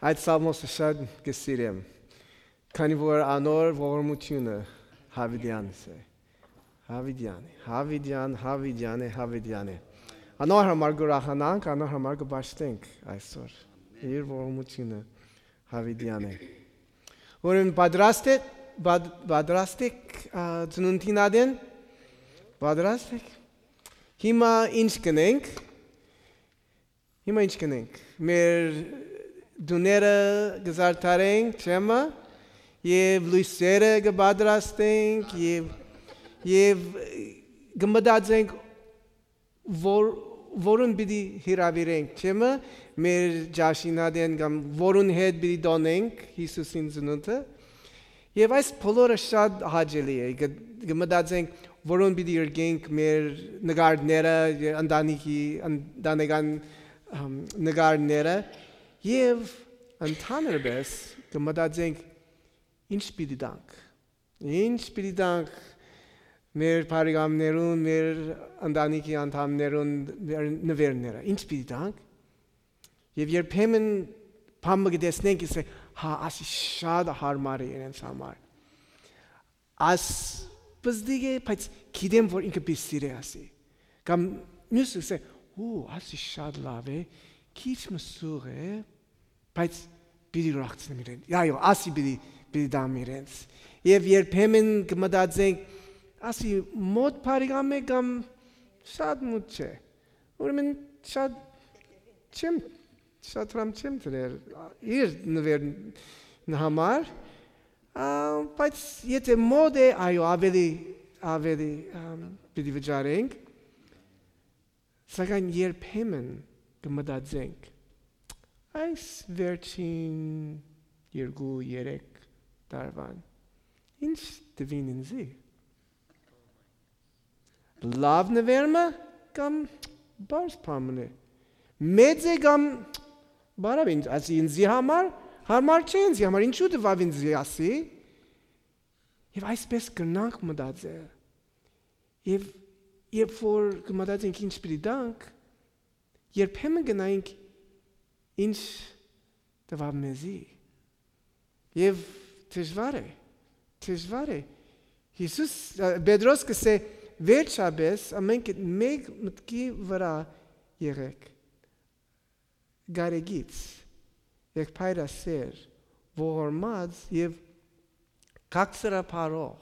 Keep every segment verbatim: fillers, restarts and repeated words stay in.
Այդ սաղմոսը շատ կը սիրեմ, քանի որ անոր ողորմութիւնը Յաւիտեան է։ Յաւիտեան է, Յաւիտեան, Յաւիտեան է, Յաւիտեան է։ Անոր համար կ'ուրախանանք, անոր համար կը պաշտենք այսօր։ Իր ողորմութիւնը Յաւիտեան է։ Ուրեմն պատրաստ է, պատ-, պատրաստ եք, ա, ծնունդին ատեն։ Պատրաստ եք։ Հիմա ինչ կ'ընենք։ Հիմա ինչ կ'ընենք։ Մեր տուները կը զարդարենք, չէ՞մը, եւ լոյսերը կը պատրաստենք, եւ, եւ կը մտածենք, որ, որուն պիտի հրաւիրենք, չէ՞մը, մեր ճաշին ատեն կամ որուն հետ պիտի տոնենք Յիսուսին ծնունդը։ Եւ այս բոլորը շատ հաճելի է։ Կը, կը մտածենք, որուն պիտի յրկենք մեր նկարները, ընտանիքի, ընտանեկան, ըմ, նկարները, եւ ընդհանրապես կը մտածենք, ինչ պիտի տանք։ Ինչ պիտի տանք մեր բարեկամներուն, մեր ընտանիքի անդամներուն, մեր նուերները, ինչ պիտի տանք։ Եւ երբեմն բան մը կը տեսնենք, կ'ըսենք, «Հա, ասի շատ յարմար է իրենց համար։ Աս պզտիկ է, բայց գիտեմ, որ ինքը պիտի սիրէ», ասի։ Կամ միւսը կ'ըսէ, «Ու, ասի շատ լաւ է, քիչ մը սուղ է, բայց պիտի ուրախցնեմ իրեն։ Այո, ասի պիտի, պիտի տամ իրենց»։ Եւ երբեմն կը մտածենք, «Ասի մոտ բարեկամ է կամ շատ մոտ չէ։ Ուրեմն շատ չեմ, շատ հրամ չեմ դրեր իր նուերն համար, ա, բայց եթե մոտ է, այո, ավելի, ավելի, ամ, պիտի վճարենք»։ Սակայն երբեմն կը մտածենք, «Այս վերջին երկու, երեք տարուան ինչ տուին ինձի։ Լաւ նուեր մը կամ պարզ բան մը։ Մեծ է կամ բարաւ ինձ, ասի, ինձի համար, յարմար չէ ինձի համար, ինչու տուաւ ինձի», ասի։ Եւ այսպես կրնանք մտածել։ Եւ երբ որ կը մտածենք ինչ պիտի տանք, երբեմն կը նայենք ինչ տուաւ մեզի։ Եւ դժուար է, դժուար է։ Յիսուս, ը, Պետրոս կ'ըսէ, «Վերջապէս ամէնքը մէկ մտքի վրայ եղէք, կարեկից, եղբայրասէր, ողորմած եւ քաղցրաբարոյ։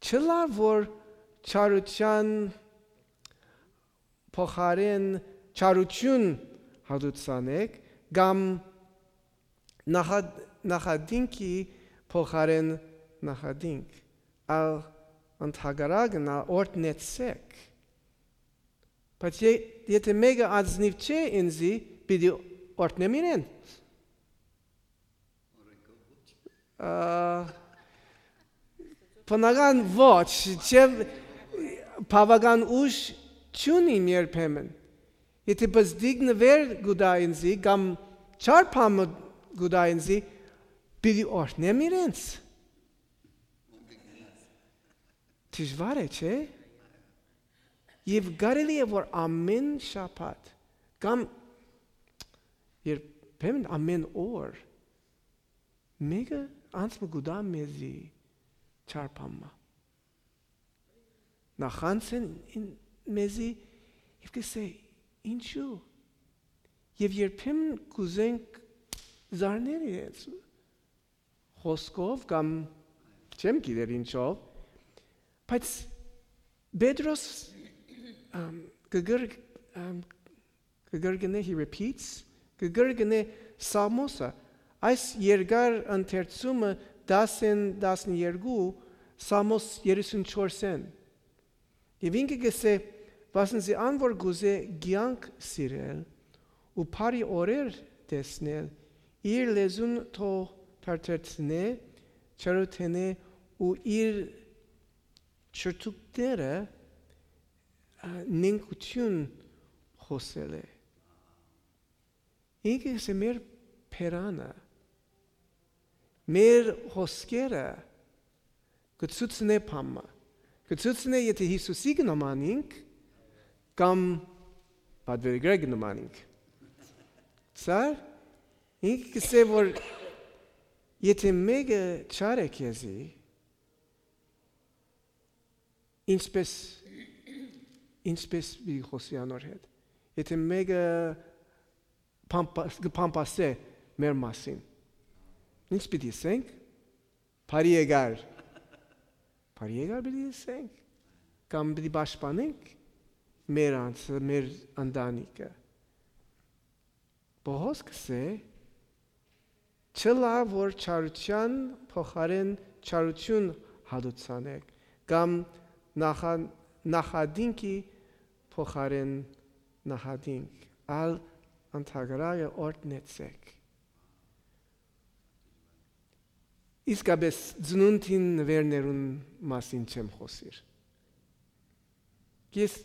Չլար որ չարութեան փոխարէն չարութիւն յատուցանէք կամ նախա-, նախատինքի փոխարէն նախատինք, այլ ընդհակառակն ալ օրհնեցէք։ Բայց ե-, եթե մէկը ազնիւ չէ ինծի, պիտի օրհնեմ իրեն»։ Ա, բնական ոչ, չէ, բաւական ուժ չունիմ երբեմն։ Եթե պզտիկ նուեր կու տայ ինծի, կամ չար բան մը կու տայ ինծի, պիտի օրհնեմ իրենց։ Դժուար է, չէ՞։ Եւ կարելի է, որ ամէն շաբաթ, կամ երբեմն ամէն օր, մէկը անց մը կու տայ մեզի չար բան մը։ Նախանձ են ին-, մեզի եւ կ'ըսէ, «Ինչու՞»։ Եւ երբեմն կ'ուզենք զարնել իրենց խօսքով կամ չեմ գիտեր ինչով, բայց Պետրոս, ամ, կը կր-, ամ, կը կրկնէ, he repeats, կը կրկնէ Սաղմոսը, այս երկար ընթերցումը դասէն տասներկու, Սաղմոս երեսունչորսէն։ Եւ ինքը կ'ըսէ, «Վասն զի ան որ կ'ուզէ կեանք սիրել ու բարի օրեր տեսնել, իր լեզուն թող թարթերցնէ, չարութենէ ու իր չրթուկները, ա, նենգութիւն խօսելէ»։ Ինքը կ'ըսէ, մեր բերանը, մեր խօսքերը կը ցուցնէ բան մը։ Կը ցուցնէ, եթե Յիսուսի կը նմանինք, Կամ պատուիրակրը կը նմանինք։ Սա ինքը կ'ըսէ որ եթէ մէկը չար է քեզի, ինչպես, ինչպես պիտի խօսի անոր հետ։ Եթէ մէկը փամփա-, կը փամփասէ մեր մասին, ինչ պիտի ըսենք։ Բարի եկար։ Բարի եկար պիտի ըսենք, կամ պիտի պաշտպանենք մեր անձը, մեր ընտանիքը։ Պողոս կ'ըսէ. «Չըլայ որ չարութեան փոխարէն չարութիւն հատուցանէք, կամ նախա-, նախատինքի փոխարէն նախատինք, ալ ընդհակառակը օրհնեցէք»։ Իսկապէս ծնունդին նուէրներուն մասին չեմ խօսիր։ Ես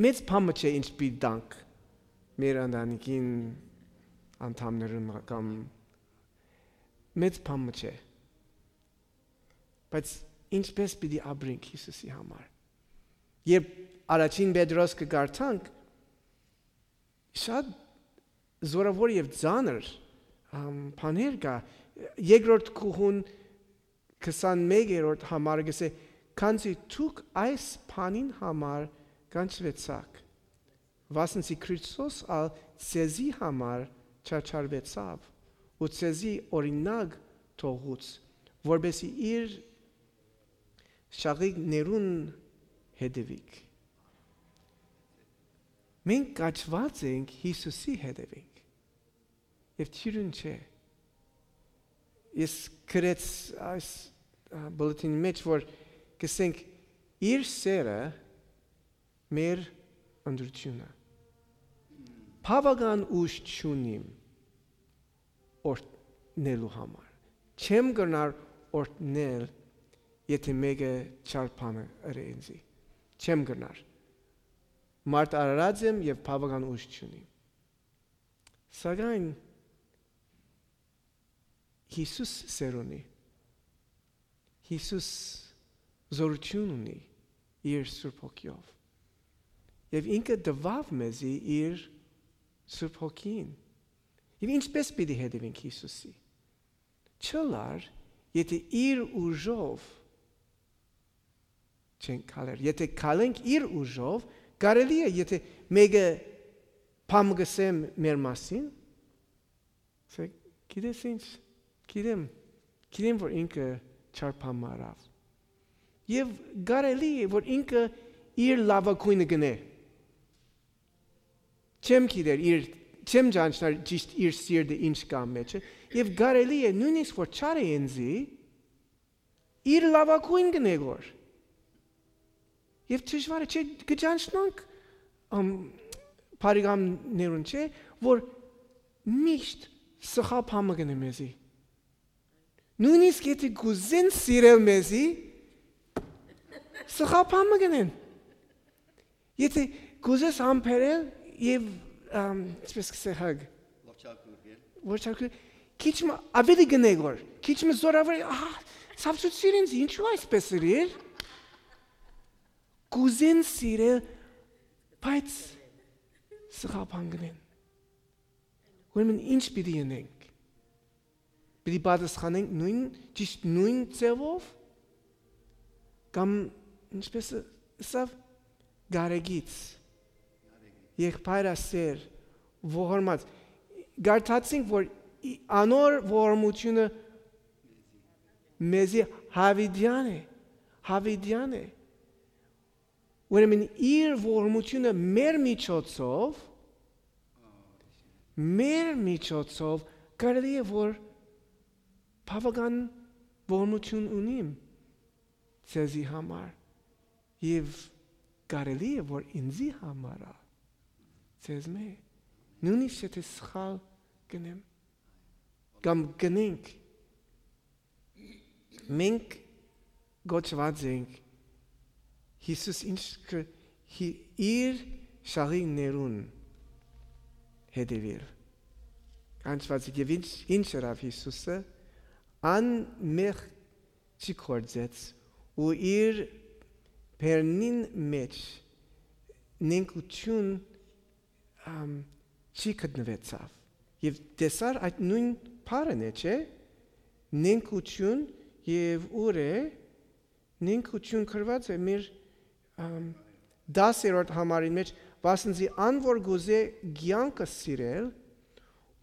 մեծ բան մը չէ ինչ պիտի տանք մեր ընտանիքին անդամներուն կամ մեծ բան մը չէ, բայց ինչպես պիտի ապրենք Յիսուսի համար։ Երբ առաջին Պետրոս կը կարդանք, շատ զորաւոր եւ ծանր, ամ, բաներ կայ։ Երկրորդ գլխուն քսանմեկերորդ համարը կ'ըսէ. «Քանզի դուք այս բանին համար կանչուեցաք, վասն զի Քրիստոս ալ ձեզի համար չարչարուեցաւ ու ձեզի օրինակ թողուց, որպեսզի իր շաղիլներուն հետեւիք»։ Մենք կաչուած ենք Յիսուսի հետեւենք եւ թիւրուն չէ։ Ես գրեց այս, ա, բուլեթինի մեջ, որ կ'ըսենք, իր սերը մեր ընտրութիւնը։ Բաւական ուժ չունիմ օրհնելու համար։ Չեմ կրնար օրհնել, եթէ մէկը չար բանը ըրէ ինծի։ Չեմ կրնար։ Մարդ արարած եմ եւ բաւական ուժ չունիմ։ Սակայն Յիսուս սեր ունի։ Յիսուս զօրութիւն ունի իր Սուրբ Հոգիով։ Եւ ինքը տուաւ մեզի իր Սուրբ Հոգին։ Եւ ինչպես պիտի հետեւենք Յիսուսի։ Չըլար, եթէ իր ուժով չենք քալեր։ Եթէ քալենք իր ուժով, կարելի է, եթէ մէկը բան կ'ըսէ մեր մասին, ասենք, «Գիտես ինչ, գիտեմ, գիտեմ, որ ինքը չար բան մը ըրաւ»։ Եւ կարելի է, որ ինքը իր լաւագոյնը կ'ընէ։ Չեմ գիտեր իր, չեմ ճանչնար ճիշդ իր սիրտը ինչ կայ մեջը, եւ կարելի է նոյնիսկ որ չար է ինծի, իր լաւագոյն կ'ընէ որ։ Եւ դժուարը չէ, կը ճանչնանք, ամ, բարեկամներուն, չէ, որ միշտ սխալ բան մը կ'ընէ մեզի։ Նոյնիսկ եթէ կ'ուզեն սիրել մեզի, սխալ բան մը կ'ընեն։ Եթէ կ'ուզես համբերել եւ, ամ, ինչպես կ'ըսե, հագ, որ չարքուր, քիչ մը աւելի կ'ընէ որ, քիչ մը զորաւոր, ահա, ցավցուցիր ինձ, ինչու այսպես ըրիր։ Կ'ուզեն սիրել, բայց սխալ բան կ'ընեն։ Ուրեմն ինչ պիտի ընենք։ Պիտի պատասխանենք նոյն, ճիշդ նոյն ձևով, կամ, ինչպես ըսաւ, գարեգից, եղբայրասեր, ողորմած։ Կարդացինք, որ ի-, անոր ողորմութիւնը մեզի հավիտեան է, հավիտեան է։ Ուրեմն իր ողորմութիւնը մեր միջոցով, մեր միջոցով կարելի է որ բաւական ողորմութիւն ունիմ ձեզի համար եւ կարելի է որ ինձի համար ա, ձեզմէ, նոյնիսկ եթե սխալ կ'ընեմ կամ կ'ընենք, մենք կոչուած ենք Յիսուս ինչ կը-, հի-, իր շաղիլներուն հետեւել։ Կանչուած եք, եւ ինչ, ինչ ըրաւ Յիսուսը, անմեղ չի գործեց ու իր բերնին մեջ նենգութիւն, ամ, չի գտնուեցաւ։ Եւ տեսար այդ նոյն բառն է, չէ՞։ Նենգութիւն, եւ ուր է, նենգութիւն գրուած է մեր, ամ, տասերորդ համարին մէջ, վասն զի ան որ կ'ուզէ կեանքը սիրել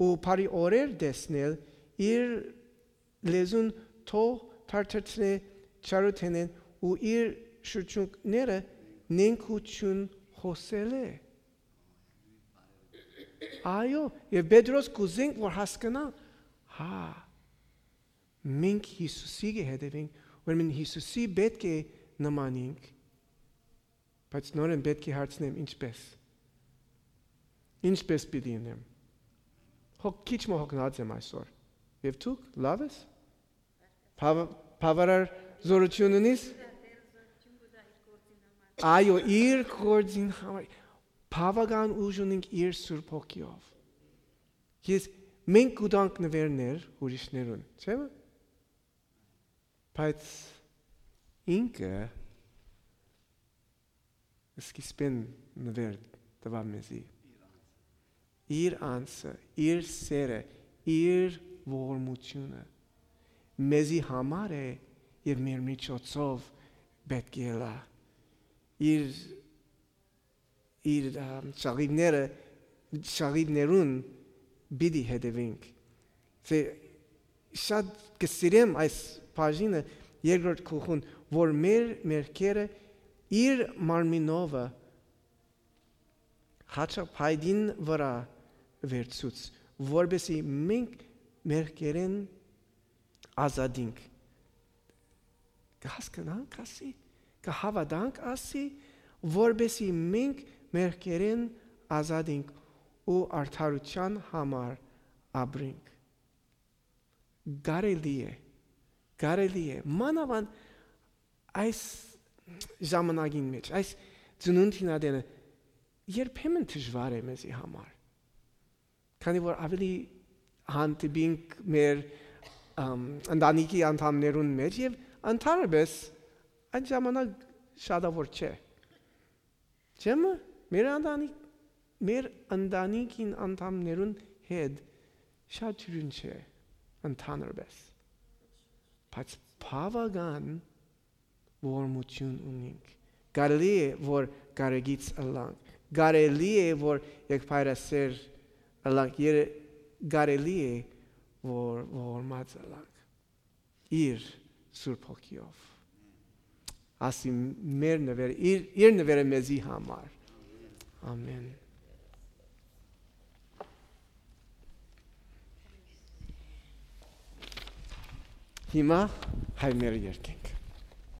ու բարի օրեր տեսնել, իր լեզուն թող թարթրցնէ չարութենէն ու իր շրջունքները նենգութիւն խօսելէ։ Այո, եւ Պետրոս կ'ուզենք որ հասկնայ, հա, մենք Յիսուսի կը հետեւենք, ուրեմն Յիսուսի պէտք է նմանենք, բայց նորէն պէտք է հարցնեմ ինչպէս։ Ինչպէս պիտի ընեմ։ Հոգ քիչ մը հոգնած եմ այսօր։ Եւ դուք լաւ ես։ Բաւ-, բավարար զորութիւն ունիս։ Այո, իր գործին համար։ Բաւական ուժ ունենք իր Սուրբ Հոգիով։ Ես, մենք կու տանք նվերներ ուրիշներուն, չէ՞։ Բայց ինքը սկիզբէն նվեր տուաւ մեզի։ Իր անձը, իր սերը, իր ողորմութիւնը մեզի համար է եւ մեր միջոցով պէտք է ելայ։ Իր, իր, ա, շաղիվները, շաղիվներուն պիտի հետևենք։ Դե, շատ կը սիրեմ այս բաժինը, երկրորդ գլխուն, որ մեր մեղքերը իր մարմինովը հաճախ փայտին վրայ վերցուց, որպեսզի մենք մեղքերէն ազատինք։ Կը հասկնանք ասի, կը հաւատանք ասի, որպեսզի մենք մեղքերէն ազատինք ու արդարութեան համար ապրինք։ Կարելի է, կարելի է, մանաւանդ այս ժամանակին մէջ, այս ծնունդին ատենը երբեմն դժուար է մեզի համար, քանի որ ավելի հանդիպինք մեր, ըմ, ընտանիքի անդամներուն մէջ եւ ընդհանրապես այն ժամանակ շատաւոր չէ։ Չէ՞, մը, մեր ընտանիք, մեր ընտանիքին անդամներուն հետ շատ ջուրին չէ, ընդհանրապես։ Բայց բաւական ողորմութիւն ունինք։ Կարելի է, որ կարեկից ըլլանք։ Կարելի է, որ եղբայրասէր ըլլանք։ Եր-, կարելի է, որ ողորմած ըլլանք։ Իր Սուրբ Հոգիով։ Ասի մեր նվեր, իր, իր նվերը մեզի համար։ Ամեն։ Հիմա հայ մեր երկենք։